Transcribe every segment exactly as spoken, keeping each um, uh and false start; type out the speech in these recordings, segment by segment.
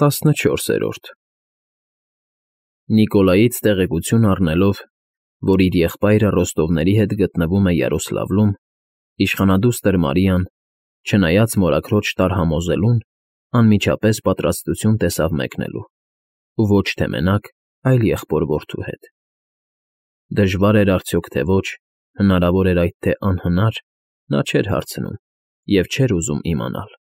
ՏԱՍՆՉՈՐՍԵՐՈՐԴ Նիկոլայից տեղեկություն առնելով, որ իր եղբայրը Ռոստովների հետ գտնվում է Յարոսլավլում, իշխանադուստր Մարիան, չնայած մորաքրոջ տարհամոզելուն, անմիջապես պատրաստություն տեսավ մեկնելու, ու ոչ թե մենակ, այլ եղբոր֊որդու հետ. դժվա՞ր էր արդյոք, թե ոչ, հնարավո՞ր էր այդ թե անհնար, նա չէր հարցնում և չէր ուզում իմանալ.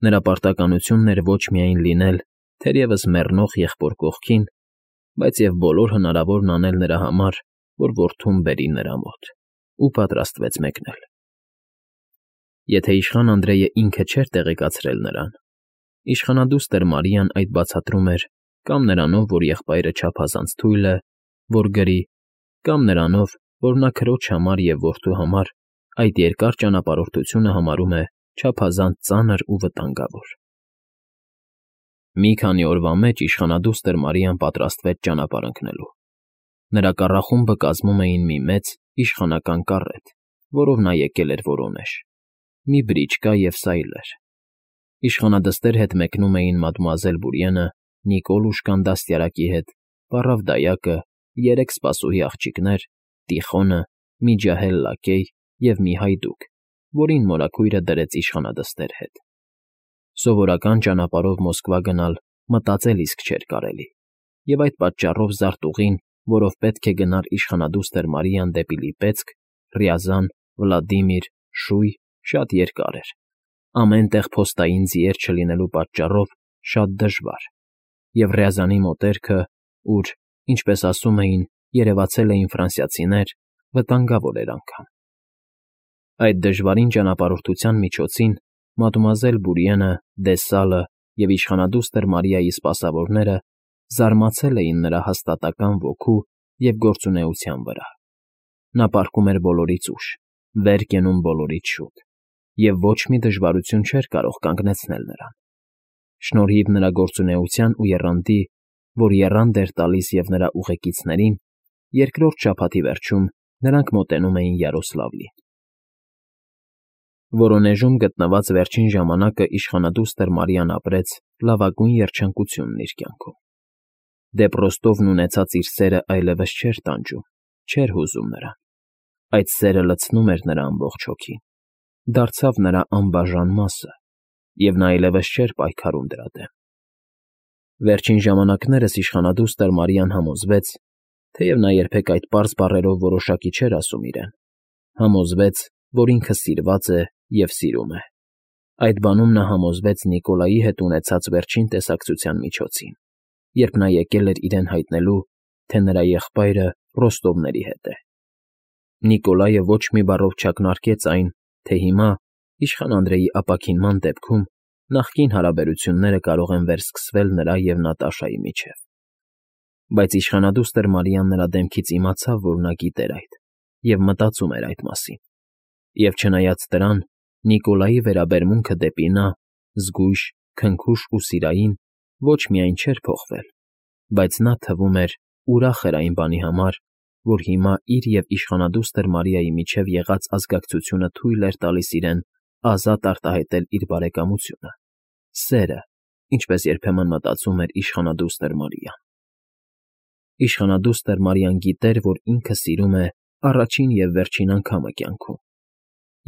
նրա պարտականությունն էր ոչ միայն լինել թերևս մեռնող եղբոր կողքին, բայց և բոլոր հնարավորն անել նրա համար, որ որդուն բերի նրա մոտ, ու պատրաստվեց մեկնել։ Եթե իշխան Անդրեյը ինքը չէր տեղեկացրել նրան, իշխանադուստր Մարիան այդ բացատրում էր կամ նրանով, որ եղբայրը չափազանց թույլ է, որ գրի, կամ նրանով, որ նա քրոջ համար և որդու համար այդ երկար ճանապարհորդությունը համարում է չափազանց ծանր ու վտանգավոր։ Մի քանի օրվա մեջ իշխանադուստր Մարիան պատրաստվեց ճանապարհ ընկնելու։ Նրա կառախումբը կազմում էին մի մեծ, իշխանական կառետ, որով նա եկել էր Որոնեժ, մի բրիչկա և սայլեր։ Իշխանադստեր հետ մեկնում էին մադմուազել Բուրիենը, Նիկոլուշկան դաստիարակի հետ, պառավ դայակը, երեք սպասուհի աղջիկներ, Տիխոնը, մի ջահել լակեյ և մի հայդուկ, որին մորաքույրը դրեց իշխանադստեր հետ։ Սովորական ճանապարհով Մոսկվա գնալ մտածել իսկ չէր կարելի, և այդ պատճառով զարտուղին, որով պետք է գնար իշխանադուստր Մարիան դեպի Լիպեցք, Ռյազան, Վլադիմիր, Շույ, շատ երկար էր, ամեն տեղ փոստային ձիեր չլինելու պատճառով շատ դժվար, և Ռյազանի մոտերքը, ուր, ինչպես ասում էին, երևացել էին ֆրանսիացիներ, վտանգավոր էր անգամ։ Այդ դժվարին ճանապարհորդության միջոցին մադմուազել Բուրիենը, դե Սալը և իշխանադուստր Մարիայի սպասավորները զարմացել էին նրա հաստատակամ ոգու և գործունեության վրա։ Նա պառկում էր բոլորից ուշ, վեր կենում բոլորից շուտ, և ոչ մի դժվարություն չէր կարող կանգնեցնել նրան։ Շնորհիվ նրա գործունեության ու եռանդի, որ եռանդ էր տալիս և նրա ուղեկիցներին, երկրորդ շաբաթի վերջում նրանք մոտենում էին Յարոսլավլին։ Որոնեժում գտնված վերջին ժամանակը իշխանադուստր Մարիան ապրեց լավագույն երջանկությունն իր կյանքում։ Դեպ Ռոստովն ունեցած իր սերը այլևս չէր տանջում, չէր հուզում նրան։ Այդ սերը լցնում էր նրա ամբողջ հոգին, դարձավ նրա անբաժան մասը, և նա այլևս չէր պայքարում դրա դեմ։ Վերջին ժամանակներս իշխանադուստր Մարիան համոզվեց, թեև նա երբեք այդ պարզ բառերով որոշակի չէր ասում իրեն, համոզվեց, որ ինքը սիրված է և սիրում է։ Այդ բանում նա համոզվեց Նիկոլայի հետ ունեցած վերջին տեսակցության միջոցին, երբ նա եկել էր իրեն հայտնելու, թե նրա եղբայրը Ռոստովների հետ է։ Նիկոլայը ոչ մի բառով չակնարկեց այն, թե հիմա, իշխան Անդրեյի ապաքինման դեպքում, նախկին հարաբերությունները կարող են վերսկսվել նրա և Նատաշայի միջև։ Բայց իշխանադուստր Մարիան նրա դեմքից իմացավ, որ նա գիտեր այդ և մտածում էր այդ մասին, և չնայած դրան, Նիկոլայի վերաբերմունքը դեպի նա, զգույշ, քնքուշ ու սիրային, ոչ միայն չէր փոխվել, բայց նա, թվում էր, ուրախ էր այն բանի համար, որ հիմա իր և իշխանադուստր Մարիայի միջև եղած ազգակցությունը թույլ էր տալիս իրեն ազատ արտահայտել իր բարեկամությունը, սերը, ինչպես երբեմն մտածում էր իշխանադուստր Մարիան։ Իշխանադուստր Մարիան գիտեր, որ ինքը սիրում է առաջին և վերջին անգամը կյանքում,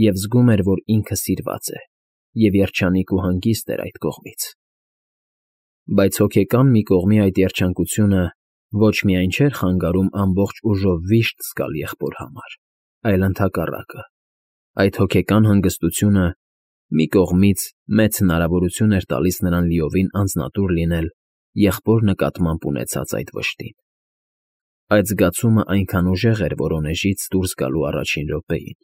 և զգում էր, որ ինքը սիրված է, և երջանիկ ու հանգիստ էր այդ կողմից։ Բայց հոգեկան մի կողմի այդ երջանկությունը ոչ միայն չէր խանգարում ամբողջ ուժով վիշտ զգալ եղբոր համար, այլ ընդհակառակը, այդ հոգեկան հանգստությունը մի կողմից մեծ հնարավորություն էր տալիս նրան լիովին անձնատուր լինել եղբոր նկատմամբ ունեցած այդ վշտին։ Այդ զգացումը այնքան ուժեղ էր Որոնեժից դուրս գալու առաջին րոպեին,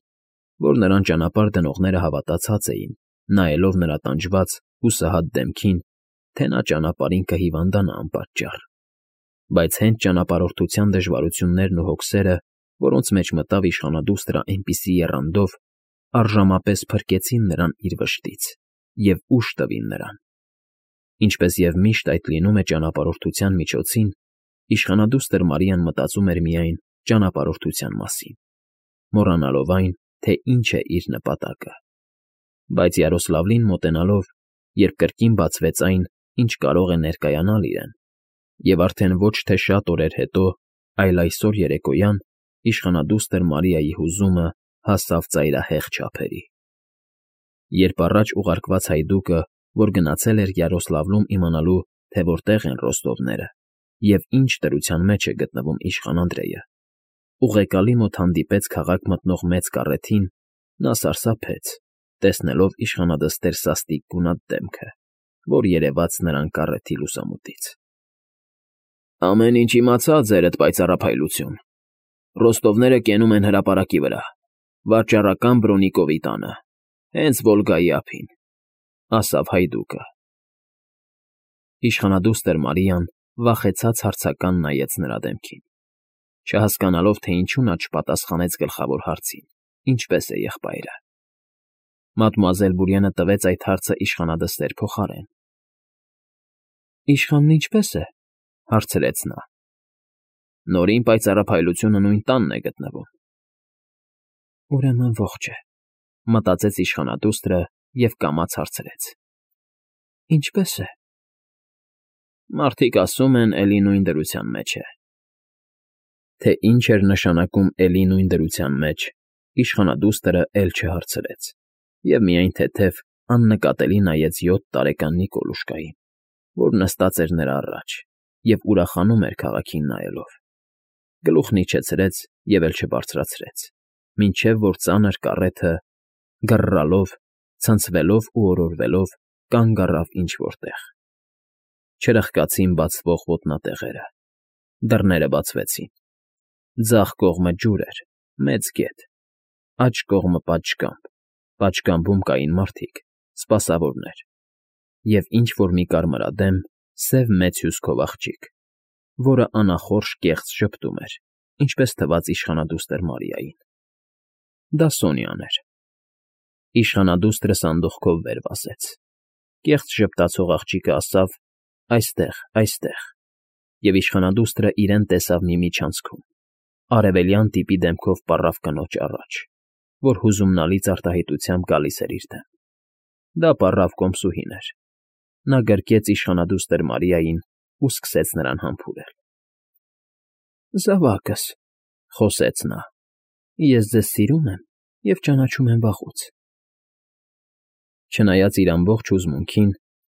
որ նրան ճանապարհ դնողները հավատացած էին, նայելով նրա տանջված, հուսահատ դեմքին, թե նա ճանապարհին կհիվանդանա անպատճառ։ Բայց հենց ճանապարհորդության դժվարություններն ու հոգսերը, որոնց մեջ մտավ իշխանադուստրը այնպիսի եռանդով, առժամապես փրկեցին նրան իր վշտից և ուժ տվին նրան։ Ինչպես և միշտ այդ լինում է ճանապարհորդության միջոցին, իշխանադուստր Մարիան մտածում էր միայն ճանապարհորդության մասին, մոռանալով այն, թե ինչ է իր նպատակը։ Բայց Յարոսլավլին մոտենալով, երբ կրկին բացվեց այն, ինչ կարող է ներկայանալ իրեն, և արդեն ոչ թե շատ օրեր հետո, այլ այսօր երեկոյան իշխանադուստր Մարիայի հուզումը հասավ ծայրահեղ չափերի։ Երբ առաջ ուղարկված հայդուկը, որ գնացել էր Յարոսլավլում իմանալու, թե որտեղ են Ռոստովները և ինչ դրության մեջ է գտնվում իշխան Անդրեյը, ուղեկալի մոտ հանդիպեց քաղաք մտնող մեծ կառեթին, նա սարսափեց, տեսնելով իշխանադստեր սաստիկ գունատ դեմքը, որ երևաց նրան կառեթի լուսամուտից։ ֊ Ամեն ինչ իմացա, ձերդ պայծառափայլություն, Ռոստովները կենում են հրապարակի վրա, վաճառական Բրոնիկովի տանը, հենց Վոլգայի ափին, ֊ ասավ հայդուկը։ Իշխանադուստր Մարիան վախեցած հարցական նայեց նրա դեմքին, չհասկանալով, թե ինչու նա չպատասխանեց գլխավոր հարցին. ինչպե՞ս է եղբայրը։ Մադմուազել Բուրիենը տվեց այդ հարցը իշխանադստեր փոխարեն։ ֊ Իշխանն ինչպե՞ս է,֊ հարցրեց նա։ ֊ Նորին պայծառափայլությունը նույն տանն է գտնվում։ Ուրեմն ողջ է,֊ մտածեց իշխանադուստրը և կամաց հարցրեց. ինչպե՞ս է։ Մարդիկ ասում են, էլի նույն դրության մեջ է։ Թե ինչ էր նշանակում էլի նույն դրության մեջ, իշխանադուստրը էլ չհարցրեց և միայն թեթև աննկատելի նայեց յոթ տարեկան Նիկոլուշկային, որ նստած էր նրա առաջ և ուրախանում էր քաղաքին նայելով, գլուխն իջեցրեց և էլ չբարձրացրեց, մինչև որ ծանր կառեթը, գռռալով, ցնցվելով ու օրորվելով, կանգ առավ ինչ֊որ տեղ։ Չրխկացին բացվող ոտնատեղերը, դռները բացվեցին, ձախ կողմը ջուր էր, մեծ գետ, աջ կողմը պատշգամբ, պատշգամբում կային մարդիկ, սպասավորներ, և ինչ֊որ մի կարմրադեմ, սև մեծ հյուսքով աղջիկ, որը անախորժ կեղծ ժպտում էր, ինչպես թվաց իշխանադուստր Մարիային։ Դա Սոնյան էր։ Իշխանադուստրը սանդուղքով վեր վազեց, կեղծ ժպտացող աղջիկը ասավ. «Այստեղ, այստեղ», և իշխանադուստրը իրեն տեսավ մի միջանցքում, արևելյան տիպի դեմքով պառավ կնոջ առաջ, որ հուզումնալից արտահայտությամբ գալիս էր իր դեմ։ Դա պառավ կոմսուհին էր։ Նա գրկեց իշխանադուստր Մարիային ու սկսեց նրան համբուրել։ ֊ Զավակս,֊ խոսեց նա,֊ ես ձեզ սիրում եմ և ճանաչում եմ վաղուց։ Չնայած իր ամբողջ հուզմունքին,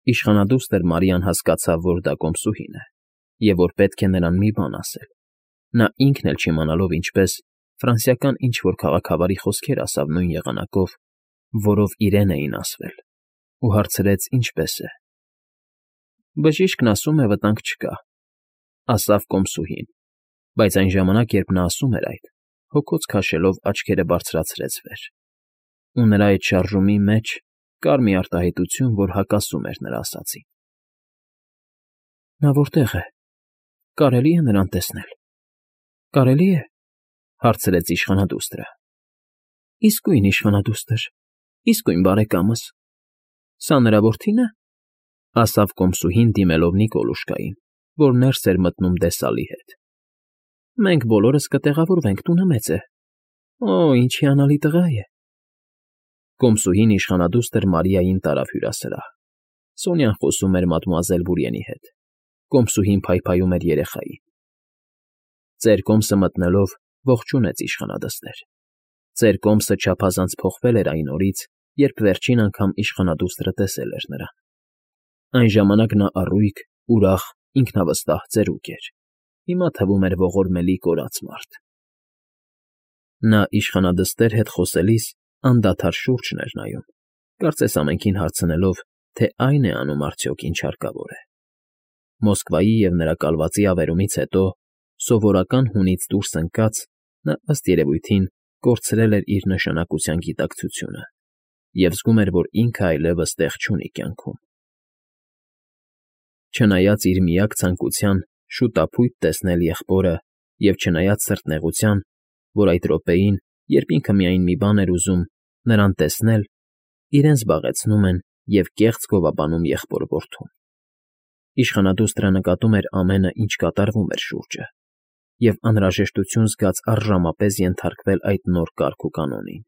իշխանադուստր Մարիան հասկացավ, որ դա կոմսուհին է և որ պետք է նրան մի բան ասել։ Նա ինքն էլ չիմանալով ինչպես, ֆրանսիական ինչ֊որ քաղաքավարի խոսքեր ասավ նույն եղանակով, որով իրեն էին ասվել, ու հարցրեց՝ ինչպե՞ս է։ ֊ Բժիշկն ասում է վտանգ չկա,֊ ասավ կոմսուհին, բայց այն ժամանակ, երբ նա ասում էր այդ, հոգոց քաշելով աչքերը բարձրացրեց վեր, ու նրա այդ շարժումի մեջ կար մի արտահայտություն, որ հակասում էր նրա ասածին։ ֊ Նա որտե՞ղ է, կարելի՞ է նրան տեսնել։ ֊ Կարելի՞ է,֊ հարցրեց իշխանադուստրը։ ֊ Իսկույն, իշխանադուստր, իսկույն, բարեկամս։ Սա նրա որդի՞ն է,֊ ասավ կոմսուհին, դիմելով Նիկոլուշկային, որ ներս էր մտնում դեսալի հետ։ ֊ Մենք բոլորս կտեղավորվենք, տունը մեծ է։ Օ՜, ինչ հիանալի տղա է։ Կոմսուհին իշխանադուստր Մարիային տարավ հյուրասրահ։ Սոնյան խոսում էր մադմուազել Բուրիենի հետ, կոմսուհին փայփայում էր երեխային։ Ծեր կոմսը մտնելով ողջունեց իշխանադստեր։ Ծեր կոմսը չափազանց փոխվել էր այն օրից, երբ վերջին անգամ իշխանադուստրը տեսել էր նրան։ Այն ժամանակ նա առույգ, ուրախ, ինքնավստահ ծերուկ էր, հիմա թվում էր ողորմելի կորած մարդ։ Նա իշխանադստեր հետ խոսելիս անդադար շուրջն էր նայում, կարծես ամենքին հարցնելով, թե այն է անում արդյոք, ինչ հարկավոր է։ Մոսկվայի և նրա կալվածի ավերումից հետո, սովորական հունից դուրս ընկած, նա ըստ երևույթին կորցրել էր իր նշանակության գիտակցությունը և զգում էր, որ ինքը այլևս տեղ չունի կյանքում։ Չնայած իր միակ ցանկության շուտափույթ տեսնել եղբորը և չնայած սրտնեղության, որ այդ րոպեին, երբ ինքը միայն մի բան էր ուզում՝ նրան տեսնել, իրեն զբաղեցնում են և կեղծ գովաբանում եղբոր֊որդուն։ Իշխանադուստրը նկատում էր ամենը, ինչ կատարվում էր շուրջը, և անհրաժեշտություն զգաց առժամապես ենթարկվել այդ նոր կարգ ու կանոնին,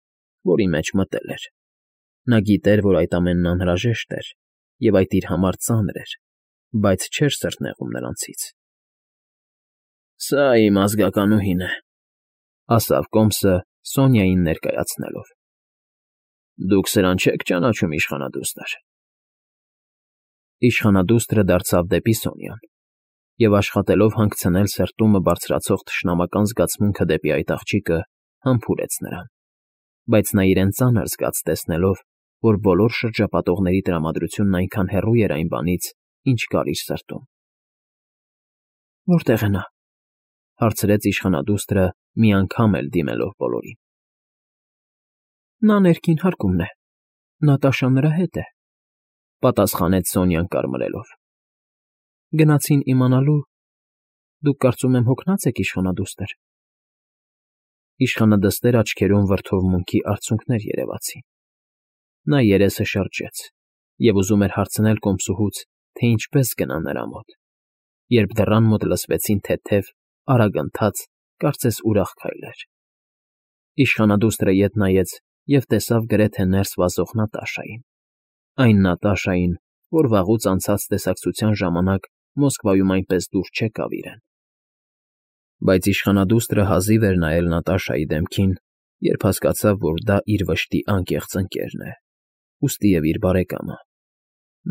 որի մեջ մտել էր։ Նա գիտեր, որ այդ ամենն անհրաժեշտ էր, և այդ իր համար ծանր էր, բայց չէր սրտնեղում նրանցից։ ֊ Սա իմ ազգականուհին է,֊ ասավ Կոմսը Սոնյային ներկայացնելով։ ֊ Դուք սրան չեք ճանաչում, իշխանադուստր… Իշխանադուստրը դարձավ դեպի Սոնյան և, աշխատելով հանգցնել սրտումը բարձրացող թշնամական զգացմունքը դեպի այդ աղջիկը, համբուրեց նրան, բայց նա իրեն ծանր զգաց տեսնելով, որ բոլոր շրջապատողների տրամադրությունն այնքան հեռու էր այն բանից, ինչ կար իր սրտում։ ֊ Որտե՞ղ է նա,֊ հարցրեց իշխանադուստրը մի անգամ էլ դիմելով բոլորին։ ֊ Նա ներքին հարկումն է, Նատաշան նրա հետ է,֊ պատասխանեց Սոնյան կարմրելով։ ֊ Գնացին իմանալու… Դուք, կարծում եմ, հոգնած եք, իշխանադուստր… Իշխանադստեր աչքերում վրդովմունքի արցունքներ երևացին։ Նա երեսը շրջեց և ուզում էր հարցնել Կոմսուհուց, թե ինչպես գնա նրա մոտ, երբ դռան մոտ լսվեցին թեթև, արագընթաց, կարծես ուրախ քայլեր։ Իշխանադուստրը ետ նայեց և տեսավ գրեթե ներս վազող Նատաշային, այն Նատաշային, որ վաղուց անցած տեսակցության ժամանակ Մոսկվայում այնպես դուր չեկավ իրեն։ Բայց իշխանադուստրը հազիվ էր նայել Նատաշայի դեմքին, երբ հասկացավ, որ դա իր վշտի անկեղծ ընկերն է, ուստիև իր բարեկամը։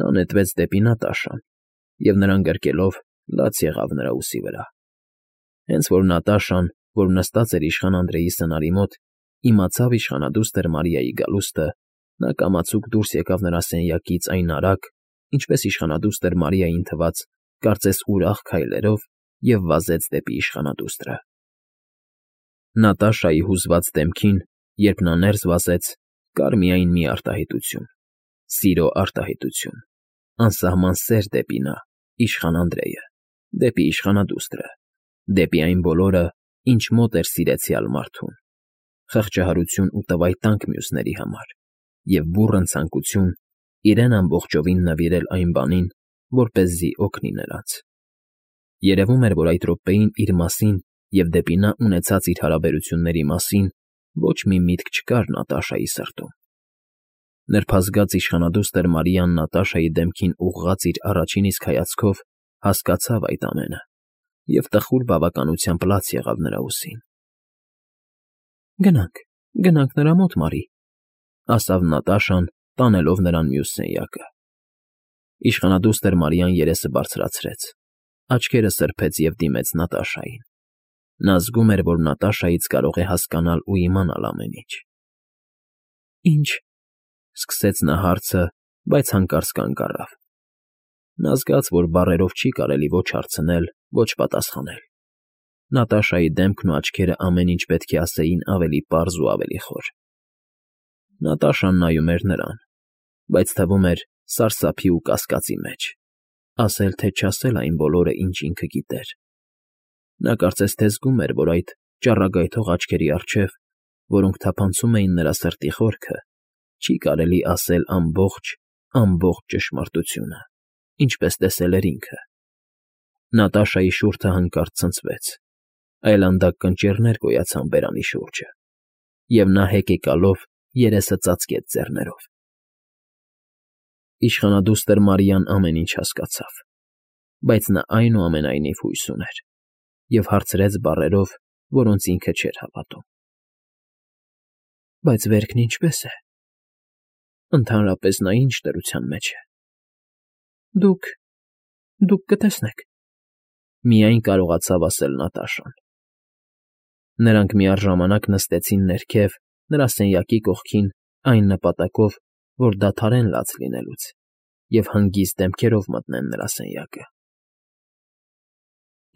Նա նետվեց դեպի Նատաշան և, նրան գրկելով, լաց եղավ նրա ուսի վրա։ Հենց որ Նատաշան, որ նստած էր իշխան Անդրեի սնարի մոտ, իմացավ իշխանադուստր Մարիայի գալուստը, նա կամացուկ դուրս եկավ նրա սենյակից այն արագ, ինչպես իշխանադուստր Մարիային թվաց, կարծես ուրախ քայլերով և վազեց դեպի իշխանադուստրը։ Նատաշայի հուզված դեմքին, երբ նա ներս վազեց, կար միայն մի արտահայտություն՝ սիրո արտահայտություն, անսահման սեր դեպի նա, իշխան Անդրեյը, դեպի իշխանադուստրը, դեպի այն բոլորը, ինչ մոտ էր սիրեցյալ մարդուն, խղճահարություն ու տվայտանք մյուսների համար և բուռն ցանկություն իրեն ամբողջովին նվիրել այն բանին, որպեսզի օգնի նրանց։ Երևում էր, որ այդ րոպեին իր մասին և դեպի նա ունեցած իր հարաբերությունների մասին ոչ մի միտք չկար Նատաշայի սրտում։ Նրբազգաց իշխանադուստր Մարիան Նատաշայի դեմքին ուղղած իր առաջին իսկ հայացքով հասկացավ այդ ամենը և տխուր բավականությամբ լաց եղավ նրա ուսին։ ֊ Գնանք, գնանք նրա մոտ, Մարի,֊ ասավ Նատաշան, տանելով նրան մյուս սենյակը։ Իշխանադուստր Մարիան երեսը բարձրացրեց, աչքերը սրբեց և դիմեց Նատաշային։ Նա զգում էր, որ Նատաշայից կարող է հասկանալ ու իմանալ ամեն ինչ։ ֊ Ինչ,֊ սկսեց նա հարցը, բայց հանկարծ կանգ առավ։ Նա զգաց, որ բառերով չի կարելի ոչ հարցնել, ոչ պատասխանել։ Նատաշայի դեմքն ու աչքերը ամեն ինչ պետք է ասեին ավելի պարզ ու ավելի խոր։ Նատաշան նայում էր նրան, բայց թվում էր սարսափի ու կասկածի մեջ, ասել թե չասել այն բոլորը, ինչ ինքը գիտեր։ Նա կարծես թե զգում էր, որ այդ ճառագայթող աչքերի առջև, որոնք թափանցում էին նրա սրտի խորքը, չի կարելի ասել ամբողջ, ամբողջ ճշմարտությունը, ինչպես տեսել էր ինքը։ Նատաշայի շուրթը հանկարծ ցնցվեց, այլանդակ կնճիռներ գոյացան բերանի շուրջը, և նա հեկեկալով երեսը ծածկեց ձեռներով։ Իշխանադուստր Մարիան ամեն ինչ հասկացավ, բայց նա այնուամենայնիվ հույս ուներ և հարցրեց բառերով, որոնց ինքը չէր հավատում. ֊ Բայց վերքն ինչպե՞ս է, ընդհանրապես նա ի՞նչ դրության մեջ է։ ֊ Դուք… դուք կտեսնեք,֊ միայն կարողացավ ասել Նատաշան։ Նրանք միառժամանակ նստեցին ներքև, նրա սենյակի կողքին, այն նպատակով, որ դադարեն լաց լինելուց և հանգիստ դեմքերով մտնեն նրա սենյակը։ ֊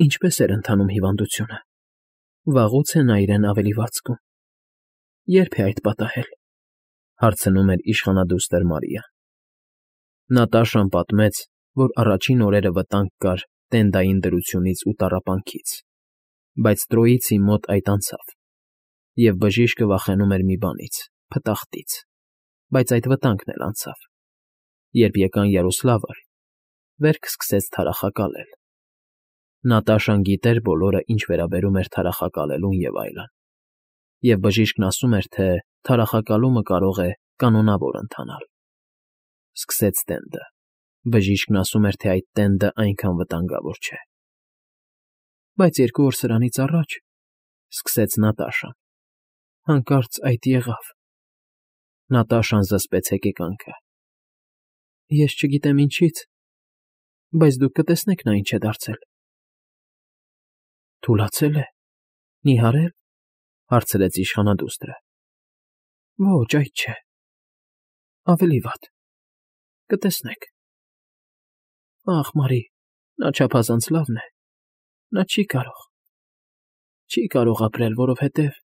Ինչպե՞ս էր ընթանում հիվանդությունը, վաղուց է նա իրեն ավելի վատ զգում։ Ե՞րբ է այդ պատահել,֊ հարցնում էր իշխանադուստր Մարիան։ Նատաշան պատմեց, որ առաջին օրերը վտանգ կար տենդային դրությունից ու տառապանքից, բայց Տրոյիցի մոտ այդ անցավ, և բժիշկը վախենում էր մի բանից՝ փտախտից, բայց այդ վտանգն էլ անցավ։ Երբ եկան Յարոսլավլ, վերք սկսեց թարախակալել։ Նատաշան գիտեր բոլորը, ինչ վերաբերում էր թարախակալելուն և այլն, և բժիշկն ասում էր, թե թարախակալումը կարող է կանոնավոր ընթանալ։ Սկսեց տենդը, Բժիշկն ասում էր, թե այդ տենդը այնքան վտանգավոր չէ։ ֊ Բայց երկու օր սրանից առաջ,֊ սկսեց Նատաշան,֊ հանկարծ այդ եղավ… Նատաշան զսպեց հեկեկանքը։֊ Ես չգիտեմ ինչից, բայց դուք կտեսնեք նա ինչ է դարձել։ ֊ Թուլացե՞լ է, նիհարե՞լ,֊ հարցրեց իշխանադուստրը։ ֊ Ոչ, այդ չէ… ավելի վատ… կտեսնեք… Ախ, Մարի, նա չափազանց լավն է… նա չի կարող… չի կարող ապրել, որովհետև…